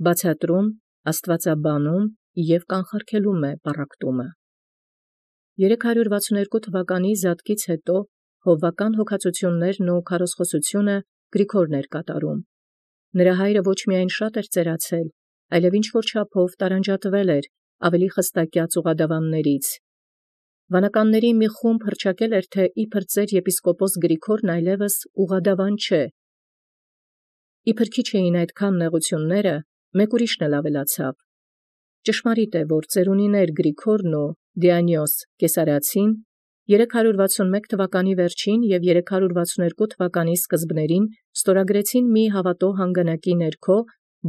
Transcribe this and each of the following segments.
բացատրում, աստվածաբանում և կանխարգելում է պառակտումը։ 362 թվականի զատկից հետո հովվական հոգացություններն ու քարոզխոսությունը Գրիգորն էր կատարում։ Նրա հայրը ոչ միայն շատ էր ծերացել, այլև ինչ-որ չափով տարանջատվել էր ավելի խստակյաց ուղադավաններից։ Վանականների մի խումբ հռչակել էր, թե իբր ծեր եպիսկոպոս Գրիգորն այլևս ուղադավան չէ։ Իբր քիչ էին այդքան նեղությունները, մեկ ուրիշն էլ ավելացավ։ Ճշմարիտ է, որ ծերունիներ Գրիգորն ու Դիոնիոս Կեսարացին 361 թվականի վերջին և 362 թվականի սկզբներին ստորագրեցին մի հավատո հանգանակի ներքո,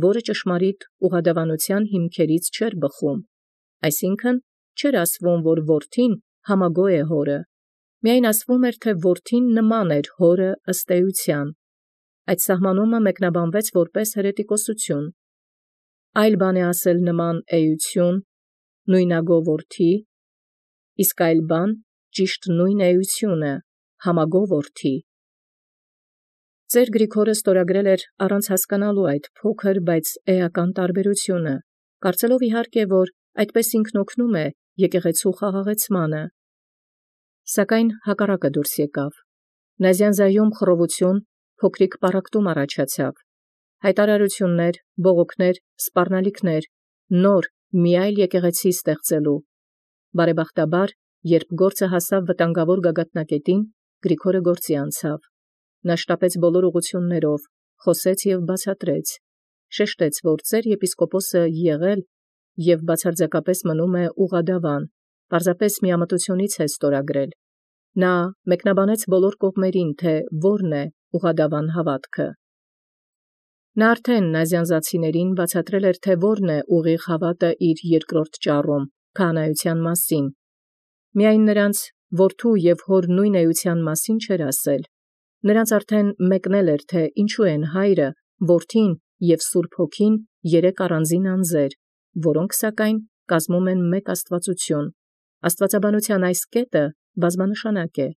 որը ճշմարիտ ուղադավանության հիմքերից չէր բխում, այսինքն չէր ասվում, որ որդին համագոյ է հորը, միայն ասվում էր, թե որդին նման էր հորը ըստ էության։ Այդ սահմանումը մեկնաբանվեց որպես հերետիկոսություն։ Այլ բան է ասել նման էություն, նույնագո որդի, իսկ այլ բան ճիշտ նույն էությունը, համագո որդի։ Ծեր Գրիգորը ստորագրել էր առանց հասկանալու այդ փոքր, բայց էական տարբերությունը, կարծելով իհարկե, որ այդպես ինքն օգնում է եկեղեցու խաղաղեցմանը։ Սակայն հակառակը դուրս եկավ։ Նազյանզայում խռովություն, փոքրիկ պառակտում առաջացավ։ Հայտարարություններ, բողոքներ, սպառնալիքներ, նոր մի այլ եկեղեցի ստեղծելու։ Բարեբախտաբար, երբ գործը հասավ վտանգավոր գագաթնակետին, Գրիգորը գործի անցավ։ Նա շտապեց բոլոր ուղղություններով, խոսեց և բացատրեց, շեշտեց, որ ծեր եպիսկոպոսը եղել և բացարձակապես մնում է ուղադավան, պարզապես միամտությունից է ստորագրել։ Նա մեկնաբանեց բոլոր կողմերին, թե որն է ուղադավան հավատքը։ Նա արդեն նազյանզացիներին բացատրել էր, թե որն է ուղիղ հավատը իր երկրորդ ճառում, քահանայության մասին։ Միայն նրանց որդու և հոր նույն էության մասին չէր ասել։ Նրանց արդեն մեկնել էր, թե ինչու են հայրը, որդին և Սուրբ Հոգին երեք առանձին անձեր, որոնք սակայն կազմում են մեկ աստվածություն։ Աստվածաբանության այս կետը բազմանշանակ է։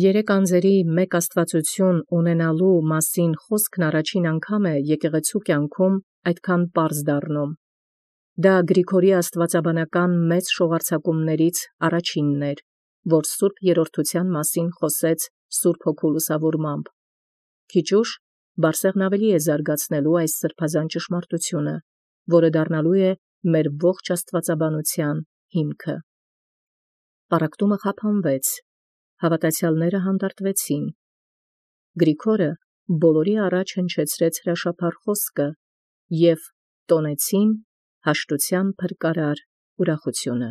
Երեք անձերի մեկ աստվածություն ունենալու մասին խոսքն առաջին անգամ է եկեղեցու կյանքում այդքան պարզ դառնում։ Դա Գրիգորի աստվածաբանական մեծ շողարձակումներից առաջինն էր, որ Սուրբ Երրորդության մասին խոսեց Սուրբ Հոգու լուսավորմամբ։ Քիչ ուշ Բարսեղն ավելի է զարգացնելու այս սրբազան ճշմարտությունը, որը դառնալու է մեր ողջ աստվածաբանության հիմքը։ Պառակտումը խափանվեց, հավատացյալները հանդարտվեցին։ Գրիգորը բոլորի առաջ հնչեցրեց հրաշափառ խոսքը և տոնեցին հաշտության փրկարար ուրախությունը։